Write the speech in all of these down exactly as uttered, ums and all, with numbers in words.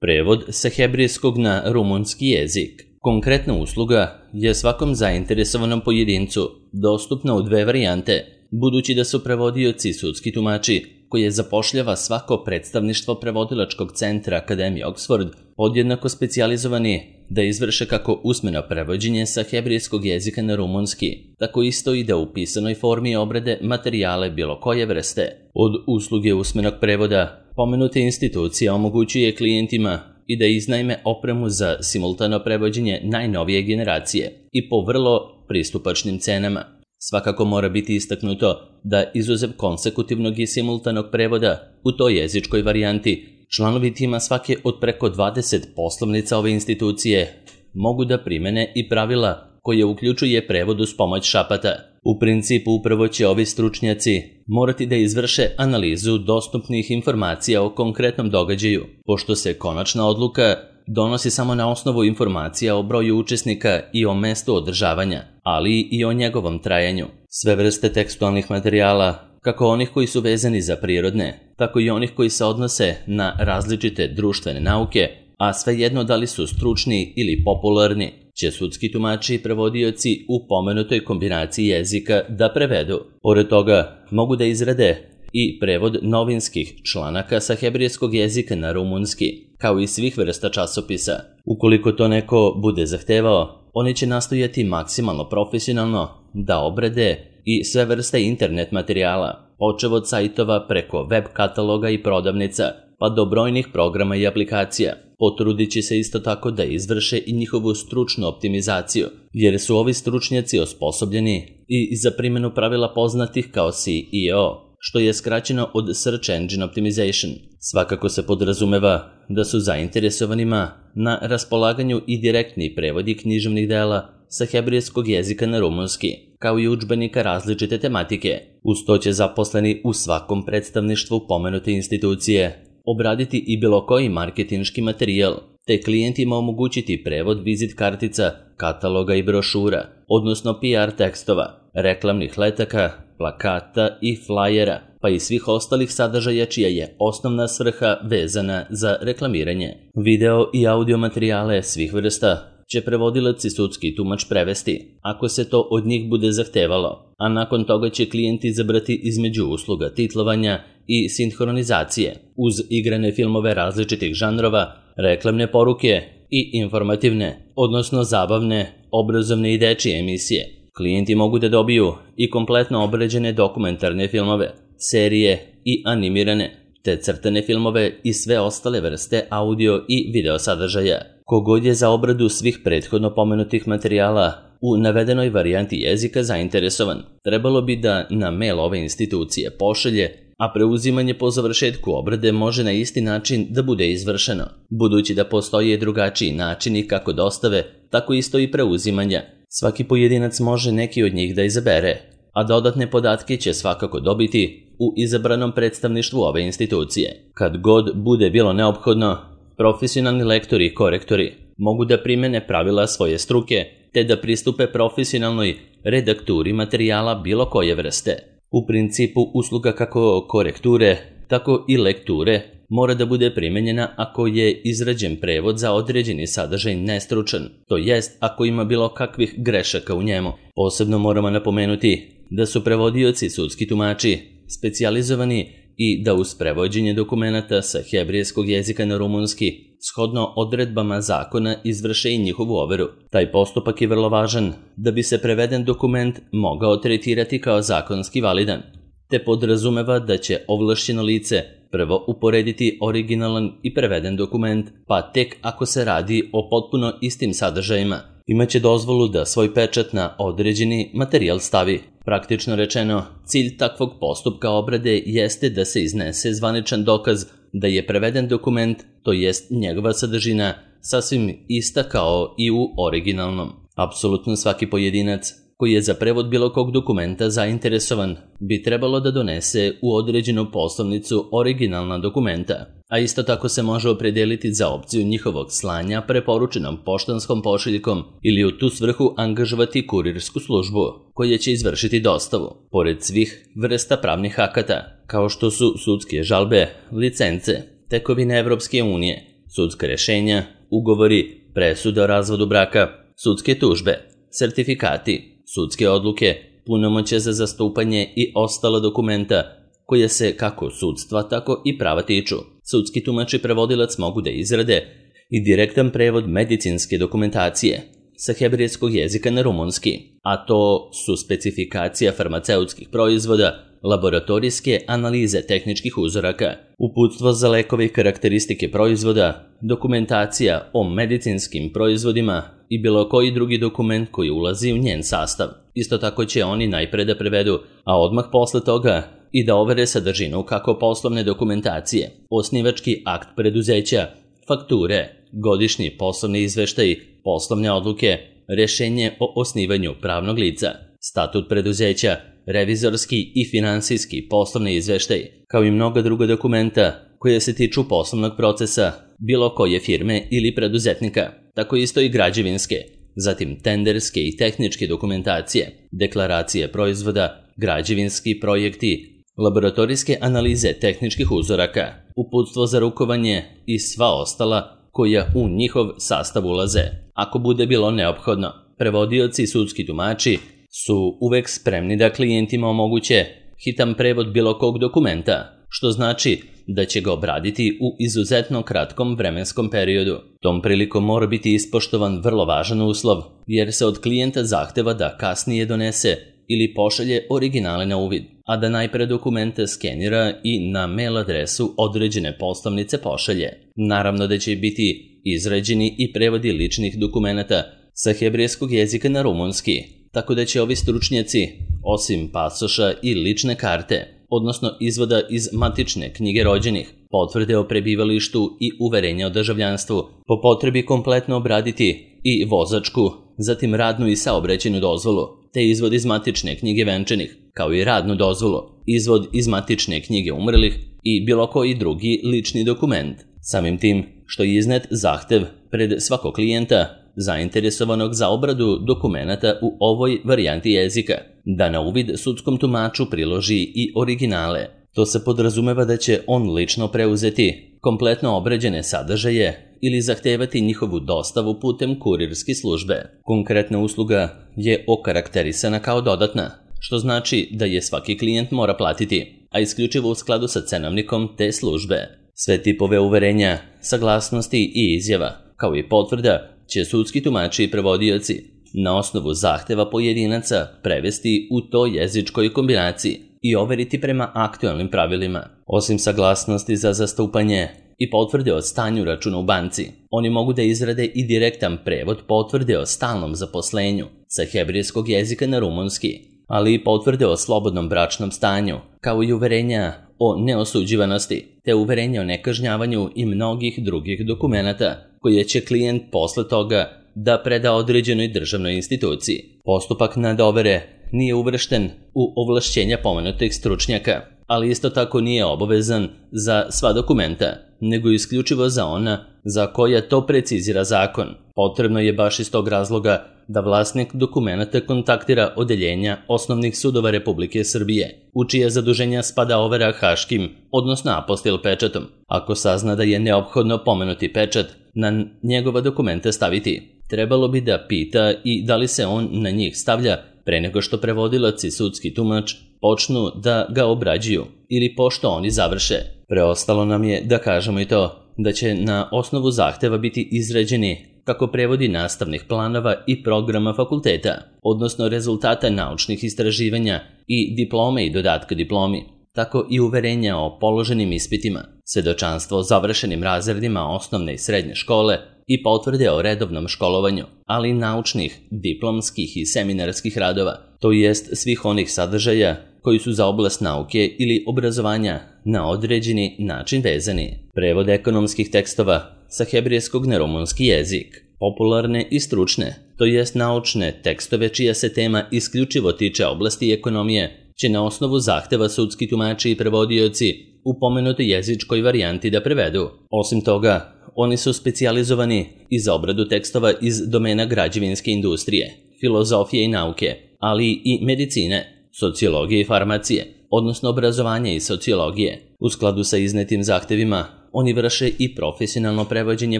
Prevod sa hebrejskog na rumunski jezik. Konkretna usluga je svakom zainteresovanom pojedincu dostupna u dve varijante, budući da su prevodioci sudski tumači, koje zapošljava svako predstavništvo prevodilačkog centra Akademije Oxford, podjednako specijalizovani da izvrše kako usmeno prevođenje sa hebrejskog jezika na rumunski, tako isto i da u pisanoj formi obrade materijale bilo koje vrste. Od usluge usmenog prevoda pomenute institucija omogućuje klijentima i da iznajme opremu za simultano prevođenje najnovije generacije i po vrlo pristupačnim cenama. Svakako mora biti istaknuto da izuzev konsekutivnog i simultanog prevoda u toj jezičkoj varijanti, članovi tima svake od preko dvadeset poslovnica ove institucije mogu da primene i pravila koje uključuje prevod uz pomoć šapata. U principu upravo će ovi stručnjaci morati da izvrše analizu dostupnih informacija o konkretnom događaju, pošto se konačna odluka donosi samo na osnovu informacija o broju učesnika i o mestu održavanja, ali i o njegovom trajanju. Sve vrste tekstualnih materijala, kako onih koji su vezani za prirodne, tako i onih koji se odnose na različite društvene nauke, a svejedno da li su stručni ili popularni, će sudski tumači i prevodioci u pomenutoj kombinaciji jezika da prevedu. Pored toga, mogu da izrade i prevod novinskih članaka sa hebrejskog jezika na rumunski, kao i svih vrsta časopisa. Ukoliko to neko bude zahtevao, oni će nastojati maksimalno profesionalno da obrade i sve vrste internet materijala, počev od sajtova preko web kataloga i prodavnica, pa do brojnih programa i aplikacija. Potrudit će se isto tako da izvrše i njihovu stručnu optimizaciju, jer su ovi stručnjaci osposobljeni i za primjenu pravila poznatih kao S E O, što je skraćeno od Search Engine Optimization. Svakako se podrazumeva da su zainteresovanima na raspolaganju i direktni prevodi književnih dela sa hebrejskog jezika na rumunski, kao i udžbenika različite tematike. Uz to će zaposleni u svakom predstavništvu pomenute institucije obraditi i bilo koji marketinški materijal, te klijentima omogućiti prevod vizit kartica, kataloga i brošura, odnosno P R tekstova, reklamnih letaka, plakata i flajera, pa i svih ostalih sadržaja čija je osnovna svrha vezana za reklamiranje. Video i audio materijale svih vrsta će prevodilac i sudski tumač prevesti, ako se to od njih bude zahtevalo, a nakon toga će klijent izabrati između usluga titlovanja i sinhronizacije, uz igrane filmove različitih žanrova, reklamne poruke i informativne, odnosno zabavne, obrazovne i dečije emisije. Klijenti mogu da dobiju i kompletno obrađene dokumentarne filmove, serije i animirane, te crtane filmove i sve ostale vrste audio i video sadržaja. Kogod je za obradu svih prethodno pomenutih materijala u navedenoj varijanti jezika zainteresovan, trebalo bi da na mail ove institucije pošalje, a preuzimanje po završetku obrade može na isti način da bude izvršeno, budući da postoje drugačiji načini kako dostave, tako isto i preuzimanja. Svaki pojedinac može neki od njih da izabere, a dodatne podatke će svakako dobiti u izabranom predstavništvu ove institucije. Kad god bude bilo neophodno, profesionalni lektori i korektori mogu da primene pravila svoje struke, te da pristupe profesionalnoj redakturi materijala bilo koje vrste. U principu usluga kako korekture, tako i lekture mora da bude primenjena ako je izrađen prevod za određeni sadržaj nestručan, to jest ako ima bilo kakvih grešaka u njemu. Posebno moramo napomenuti da su prevodioci sudski tumači specijalizovani i da uz prevođenje dokumenata sa hebrejskog jezika na rumunski, shodno odredbama zakona, izvrše i njihovu overu. Taj postupak je vrlo važan da bi se preveden dokument mogao tretirati kao zakonski validan, te podrazumeva da će ovlašćeno lice prvo uporediti originalan i preveden dokument, pa tek ako se radi o potpuno istim sadržajima, imaće dozvolu da svoj pečat na određeni materijal stavi. Praktično rečeno, cilj takvog postupka obrade jeste da se iznese zvaničan dokaz da je preveden dokument, to jest njegova sadržina, sasvim ista kao i u originalnom. Apsolutno svaki pojedinac koji je za prevod bilo kog dokumenta zainteresovan bi trebalo da donese u određenu poslovnicu originalna dokumenta, a isto tako se može opredeliti za opciju njihovog slanja preporučenom poštanskom pošiljkom ili u tu svrhu angažovati kurirsku službu koja će izvršiti dostavu. Pored svih vrsta pravnih akata, kao što su sudske žalbe, licence, tekovine Evropske unije, sudska rješenja, ugovori, presude o razvodu braka, sudske tužbe, sertifikati, sudske odluke, punomoćje za zastupanje i ostala dokumenta koje se kako sudstva, tako i prava tiču. Sudski tumač i prevodilac mogu da izrade i direktan prevod medicinske dokumentacije sa hebrejskog jezika na rumunski, a to su specifikacija farmaceutskih proizvoda, laboratorijske analize tehničkih uzoraka, uputstvo za lekove i karakteristike proizvoda, dokumentacija o medicinskim proizvodima i bilo koji drugi dokument koji ulazi u njen sastav. Isto tako će oni najpre da prevedu, a odmah posle toga i da overe sadržinu kako poslovne dokumentacije, osnivački akt preduzeća, fakture, godišnji poslovni izveštaj, poslovne odluke, rješenje o osnivanju pravnog lica, statut preduzeća, revizorski i finansijski poslovni izveštaj, kao i mnoga druga dokumenta koje se tiču poslovnog procesa bilo koje firme ili preduzetnika, tako isto i građevinske, zatim tenderske i tehničke dokumentacije, deklaracije proizvoda, građevinski projekti, laboratorijske analize tehničkih uzoraka, uputstvo za rukovanje i sva ostala koja u njihov sastav ulaze. Ako bude bilo neophodno, prevodioci i sudski tumači su uvek spremni da klijentima omoguće hitan prevod bilo kog dokumenta, što znači da će ga obraditi u izuzetno kratkom vremenskom periodu. Tom prilikom mora biti ispoštovan vrlo važan uslov, jer se od klijenta zahteva da kasnije donese ili pošalje originale na uvid, a da najpre dokumente skenira i na mail adresu određene poslovnice pošalje. Naravno da će biti izrađeni i prevodi ličnih dokumenata sa hebrejskog jezika na rumunski, tako da će ovi stručnjaci, osim pasoša i lične karte, odnosno izvoda iz matične knjige rođenih, potvrde o prebivalištu i uverenja o državljanstvu, po potrebi kompletno obraditi i vozačku, zatim radnu i saobraćajnu dozvolu, te izvod iz matične knjige venčanih, kao i radnu dozvolu, izvod iz matične knjige umrlih i bilo koji drugi lični dokument. Samim tim što je iznet zahtev pred svakog klijenta zainteresovanog za obradu dokumenata u ovoj varijanti jezika, da na uvid sudskom tumaču priloži i originale. To se podrazumeva da će on lično preuzeti kompletno obrađene sadržaje ili zahtevati njihovu dostavu putem kurirske službe. Konkretna usluga je okarakterisana kao dodatna, što znači da je svaki klijent mora platiti, a isključivo u skladu sa cenovnikom te službe. Sve tipove uverenja, saglasnosti i izjava, kao i potvrda, će sudski tumači i prevodioci na osnovu zahteva pojedinaca prevesti u toj jezičkoj kombinaciji i overiti prema aktualnim pravilima. Osim saglasnosti za zastupanje i potvrde o stanju računa u banci, oni mogu da izrade i direktan prevod potvrde o stalnom zaposlenju sa hebrejskog jezika na rumunski, ali i potvrde o slobodnom bračnom stanju, kao i uverenja o neosuđivanosti, te uverenja o nekažnjavanju i mnogih drugih dokumenata koje će klijent posle toga da preda određenoj državnoj instituciji. Postupak nadovere nije uvršten u ovlašćenja pomenutih stručnjaka, ali isto tako nije obavezan za sva dokumenta, nego isključivo za ona za koja to precizira zakon. Potrebno je baš iz tog razloga da vlasnik dokumenta kontaktira odeljenja osnovnih sudova Republike Srbije, u čije zaduženja spada overa haškim, odnosno apostil pečatom. Ako sazna da je neophodno pomenuti pečat na njegova dokumenta staviti, trebalo bi da pita i da li se on na njih stavlja pre nego što prevodilac i sudski tumač počnu da ga obrađuju ili pošto oni završe. Preostalo nam je da kažemo i to da će na osnovu zahteva biti izrađeni kako prevodi nastavnih planova i programa fakulteta, odnosno rezultata naučnih istraživanja i diplome i dodatka diplomi, tako i uverenja o položenim ispitima, svedočanstvo o završenim razredima osnovne i srednje škole i potvrde o redovnom školovanju, ali i naučnih, diplomskih i seminarskih radova, to jest svih onih sadržaja koji su za oblast nauke ili obrazovanja na određeni način vezani. Prevod ekonomskih tekstova sa hebrejskog na rumunski jezik, popularne i stručne, to jest naučne tekstove čija se tema isključivo tiče oblasti ekonomije, će na osnovu zahteva sudski tumači i prevodioci u pomenutoj jezičkoj varijanti da prevedu. Osim toga, oni su specijalizovani i za obradu tekstova iz domena građevinske industrije, filozofije i nauke, ali i medicine, sociologije i farmacije, odnosno obrazovanja i sociologije. U skladu sa iznetim zahtevima, oni vrše i profesionalno prevođenje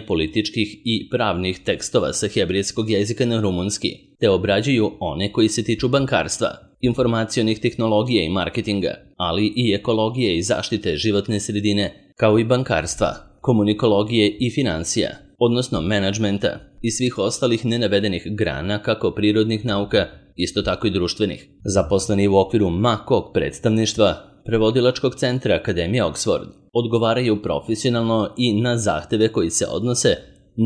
političkih i pravnih tekstova sa hebrejskog jezika na rumunski, te obrađuju one koji se tiču bankarstva, informacionih tehnologija i marketinga, ali i ekologije i zaštite životne sredine, kao i bankarstva, komunikologije i financija, odnosno menadžmenta i svih ostalih nenavedenih grana kako prirodnih nauka, isto tako i društvenih. Zaposleni u okviru M A K-og predstavništva Prevodilačkog centra Akademije Oxford odgovaraju profesionalno i na zahteve koji se odnose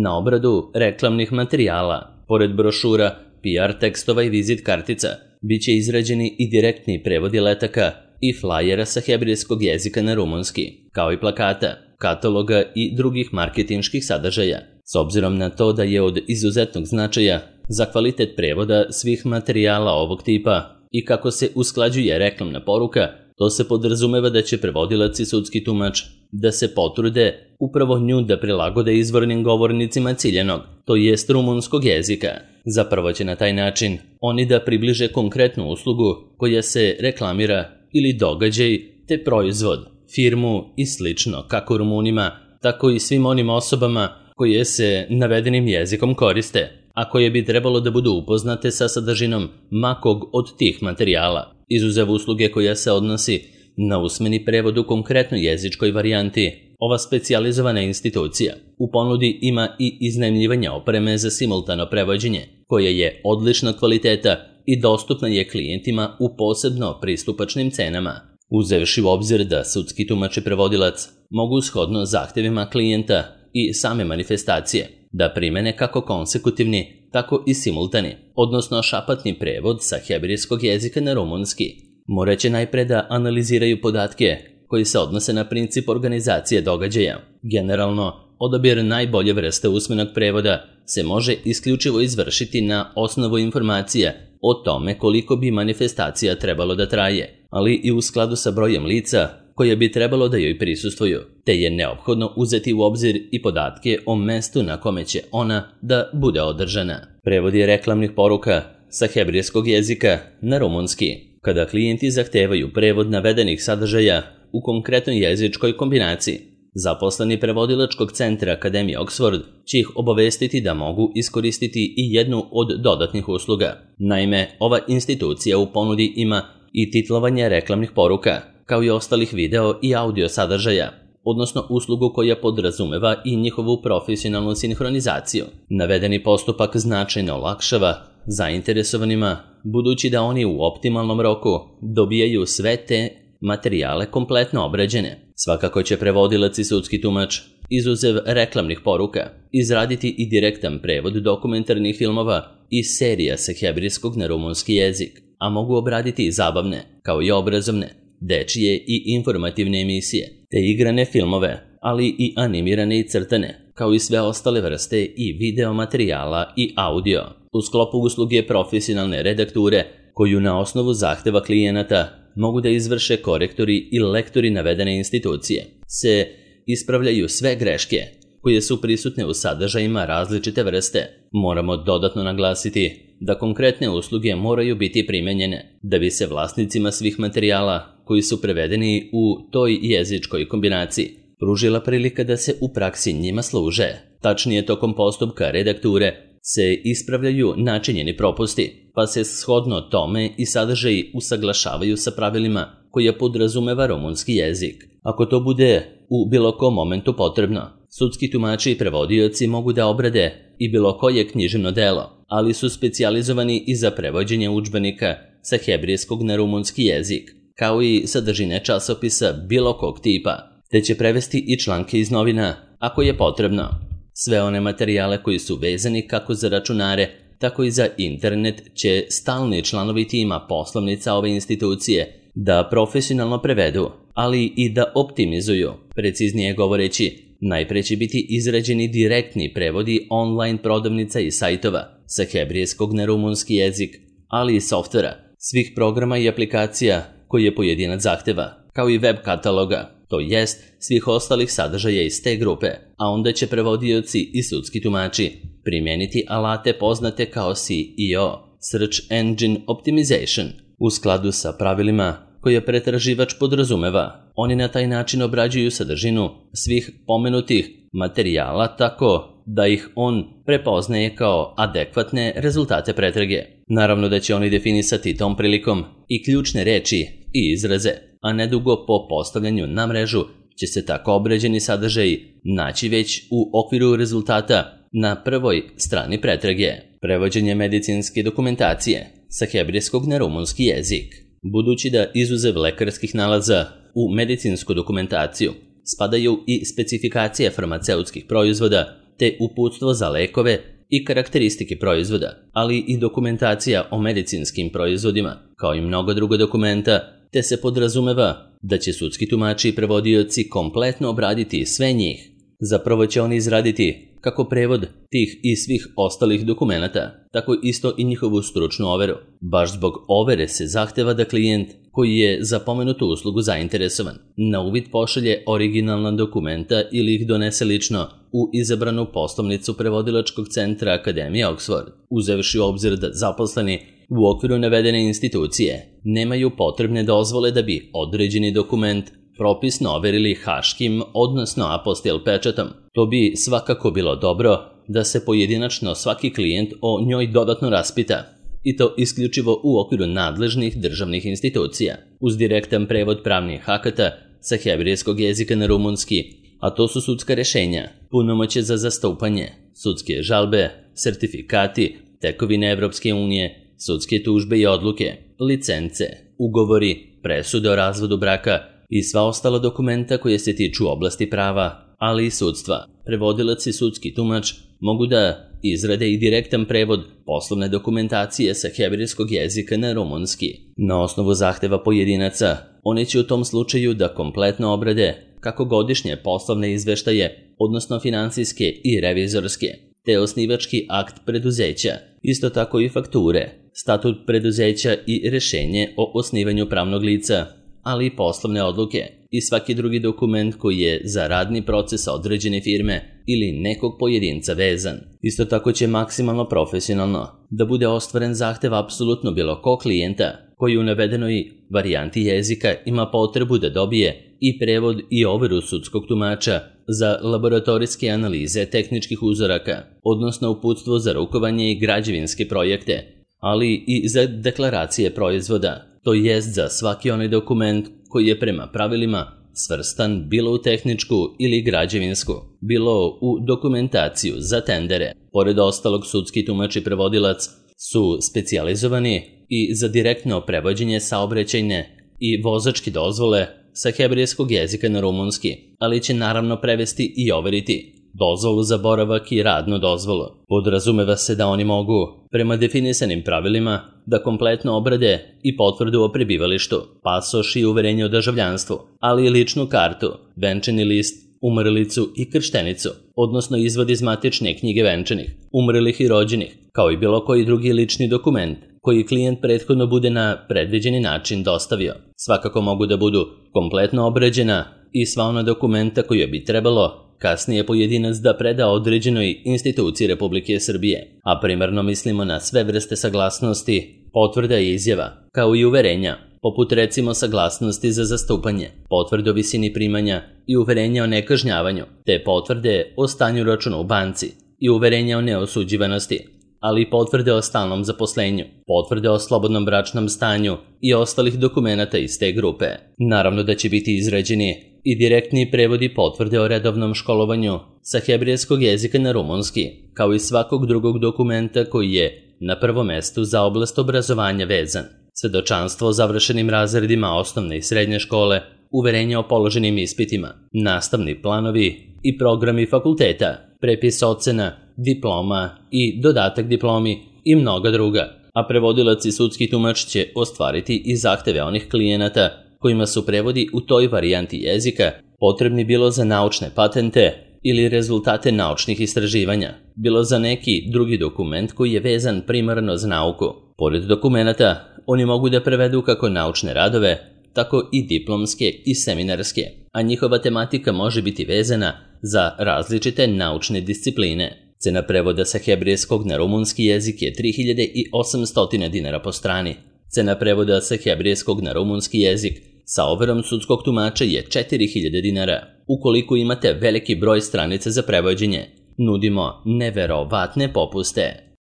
na obradu reklamnih materijala. Pored brošura, P R tekstova i vizit kartica, bit će izrađeni i direktni prevodi letaka i flajera sa hebrejskog jezika na rumunski, kao i plakata, kataloga i drugih marketinških sadržaja. S obzirom na to da je od izuzetnog značaja za kvalitet prevoda svih materijala ovog tipa i kako se usklađuje reklamna poruka, to se podrazumeva da će prevodilac i sudski tumač da se potrude upravo nju da prilagode izvornim govornicima ciljanog, to jest rumunskog jezika. Zapravo će na taj način oni da približe konkretnu uslugu koja se reklamira ili događaj te proizvod, firmu i slično kako Rumunima, tako i svim onim osobama koje se navedenim jezikom koriste, a koje bi trebalo da budu upoznate sa sadržinom makog od tih materijala, izuzev usluge koja se odnosi na usmeni prevod u konkretnoj jezičkoj varijanti. Ova specijalizovana institucija u ponudi ima i iznajmljivanje opreme za simultano prevođenje, koje je odličnog kvaliteta i dostupna je klijentima u posebno pristupačnim cenama. Uzevši u obzir da sudski tumač i prevodilac mogu shodno zahtevima klijenta i same manifestacije da primene kako konsekutivni, tako i simultani, odnosno šapatni prevod sa hebrejskog jezika na rumunski. Moraće najpre da analiziraju podatke koji se odnose na princip organizacije događaja. Generalno, odabir najbolje vrste usmenog prevoda se može isključivo izvršiti na osnovu informacija o tome koliko bi manifestacija trebalo da traje, ali i u skladu sa brojem lica koje bi trebalo da joj prisustvuju, te je neophodno uzeti u obzir i podatke o mestu na kome će ona da bude održana. Prevod je reklamnih poruka sa hebrejskog jezika na rumunski. Kada klijenti zahtevaju prevod navedenih sadržaja u konkretnoj jezičkoj kombinaciji, zaposleni Prevodilačkog centra Akademije Oxford će ih obavestiti da mogu iskoristiti i jednu od dodatnih usluga. Naime, ova institucija u ponudi ima i titlovanje reklamnih poruka, kao i ostalih video i audio sadržaja, odnosno uslugu koja podrazumeva i njihovu profesionalnu sinhronizaciju. Navedeni postupak značajno olakšava zainteresovanima, budući da oni u optimalnom roku dobijaju sve te materijale kompletno obrađene. Svakako će prevodilac i sudski tumač, izuzev reklamnih poruka, izraditi i direktan prevod dokumentarnih filmova i serija sa hebrejskog na rumunski jezik, a mogu obraditi i zabavne, kao i obrazovne, dečije i informativne emisije, te igrane filmove, ali i animirane i crtane, kao i sve ostale vrste i video materijala i audio. U sklopu usluge profesionalne redakture, koju na osnovu zahteva klijenata mogu da izvrše korektori i lektori navedene institucije, se ispravljaju sve greške koje su prisutne u sadržajima različite vrste. Moramo dodatno naglasiti da konkretne usluge moraju biti primenjene da bi se vlasnicima svih materijala koji su prevedeni u toj jezičkoj kombinaciji pružila prilika da se u praksi njima služe. Tačnije, tokom postupka redakture se ispravljaju načinjeni propusti, pa se shodno tome i sadržaji usaglašavaju sa pravilima koje podrazumeva rumunski jezik. Ako to bude u bilo kom momentu potrebno, sudski tumači i prevodioci mogu da obrade i bilo koje književno delo, ali su specijalizovani i za prevođenje udžbenika sa hebrejskog na rumunski jezik, kao i sadržine časopisa bilo kog tipa, te će prevesti i članke iz novina ako je potrebno. Sve one materijale koji su vezani kako za računare, tako i za internet će stalni članovi tima poslovnica ove institucije da profesionalno prevedu, ali i da optimizuju. Preciznije govoreći, najpre će biti izrađeni direktni prevodi online prodavnica i sajtova sa hebrejskog na rumunski jezik, ali i softvera, svih programa i aplikacija koje pojedinac zahteva, kao i web kataloga, to jest svih ostalih sadržaja iz te grupe, a onda će prevodioci i sudski tumači primijeniti alate poznate kao S E O, Search Engine Optimization, u skladu sa pravilima koje pretraživač podrazumeva. Oni na taj način obrađuju sadržinu svih pomenutih materijala tako da ih on prepoznaje kao adekvatne rezultate pretrage. Naravno da će oni definisati tom prilikom i ključne reči i izraze, a nedugo po postavljanju na mrežu će se tako obrađeni sadržaji naći već u okviru rezultata na prvoj strani pretrage. Prevođenje medicinske dokumentacije sa hebrejskog na rumunski jezik. Budući da izuzev lekarskih nalaza u medicinsku dokumentaciju spadaju i specifikacije farmaceutskih proizvoda te uputstvo za lekove i karakteristike proizvoda, ali i dokumentacija o medicinskim proizvodima, kao i mnogo druga dokumenta, te se podrazumeva da će sudski tumači i prevodioci kompletno obraditi sve njih. Zapravo će oni izraditi kako prevod tih i svih ostalih dokumenata, tako isto i njihovu stručnu overu. Baš zbog overe se zahteva da klijent koji je za pomenutu uslugu zainteresovan na uvid pošalje originalna dokumenta ili ih donese lično u izabranu poslovnicu prevodilačkog centra Akademije Oxford, uzevši u obzir da zaposleni u okviru navedene institucije nemaju potrebne dozvole da bi određeni dokument propisno overili haškim, odnosno apostil pečatom. To bi svakako bilo dobro da se pojedinačno svaki klijent o njoj dodatno raspita, i to isključivo u okviru nadležnih državnih institucija, uz direktan prevod pravnih akata sa hebrejskog jezika na rumunski, a to su sudska rešenja, punomoćje za zastupanje, sudske žalbe, sertifikati, tekovine Evropske unije, sudske tužbe i odluke, licence, ugovori, presude o razvodu braka i sva ostala dokumenta koje se tiču oblasti prava, ali i sudstva. Prevodilac i sudski tumač mogu da izrade i direktan prevod poslovne dokumentacije sa hebrejskog jezika na rumunski. Na osnovu zahteva pojedinaca, oni će u tom slučaju da kompletno obrade kako godišnje poslovne izveštaje, odnosno finansijske i revizorske, te osnivački akt preduzeća, isto tako i fakture, statut preduzeća i rešenje o osnivanju pravnog lica, ali i poslovne odluke i svaki drugi dokument koji je za radni proces određene firme ili nekog pojedinca vezan. Isto tako će maksimalno profesionalno da bude ostvaren zahtev apsolutno bilo ko klijenta koji u navedenoj varijanti jezika ima potrebu da dobije i prevod i overu sudskog tumača za laboratorijske analize tehničkih uzoraka, odnosno uputstvo za rukovanje i građevinske projekte, ali i za deklaracije proizvoda, to jest za svaki onaj dokument koji je prema pravilima svrstan bilo u tehničku ili građevinsku, bilo u dokumentaciju za tendere. Pored ostalog, sudski tumač i prevodilac su specijalizovani i za direktno prevođenje saobraćajne i vozačke dozvole sa hebrejskog jezika na rumunski, ali će naravno prevesti i overiti dozvolu za boravak i radnu dozvolu. Podrazumeva se da oni mogu, prema definisanim pravilima, da kompletno obrade i potvrdu o prebivalištu, pasoš i uverenje o državljanstvu, ali i ličnu kartu, venčani list, umrlicu i krštenicu, odnosno izvod iz matične knjige venčanih, umrlih i rođenih, kao i bilo koji drugi lični dokument koji klijent prethodno bude na predviđeni način dostavio. Svakako mogu da budu kompletno obrađena i sva ona dokumenta koja bi trebalo kasnije pojedinac da preda određenoj instituciji Republike Srbije, a primarno mislimo na sve vrste saglasnosti, potvrda i izjava, kao i uverenja, poput recimo saglasnosti za zastupanje, potvrde o visini primanja i uverenja o nekažnjavanju, te potvrde o stanju računa u banci i uverenja o neosuđivanosti, ali i potvrde o stalnom zaposlenju, potvrde o slobodnom bračnom stanju i ostalih dokumenata iz te grupe. Naravno da će biti izrađeni i direktni prevodi potvrde o redovnom školovanju sa hebrejskog jezika na rumunski, kao i svakog drugog dokumenta koji je na prvom mestu za oblast obrazovanja vezan. Svedočanstvo o završenim razredima osnovne i srednje škole, uverenje o položenim ispitima, nastavni planovi i programi fakulteta, prepis ocena, diploma i dodatak diplomi i mnoga druga, a prevodilac i sudski tumač će ostvariti i zahteve onih klijenata kojima su prevodi u toj varijanti jezika potrebni bilo za naučne patente ili rezultate naučnih istraživanja, bilo za neki drugi dokument koji je vezan primarno za nauku. Pored dokumenata, oni mogu da prevedu kako naučne radove, tako i diplomske i seminarske, a njihova tematika može biti vezana za različite naučne discipline. Cena prevoda sa hebrejskog na rumunski jezik je tri hiljade osamsto dinara po strani. Cena prevoda sa hebrejskog na rumunski jezik sa overom sudskog tumača je četiri hiljade dinara. Ukoliko imate veliki broj stranica za prevođenje, nudimo neverovatne popuste.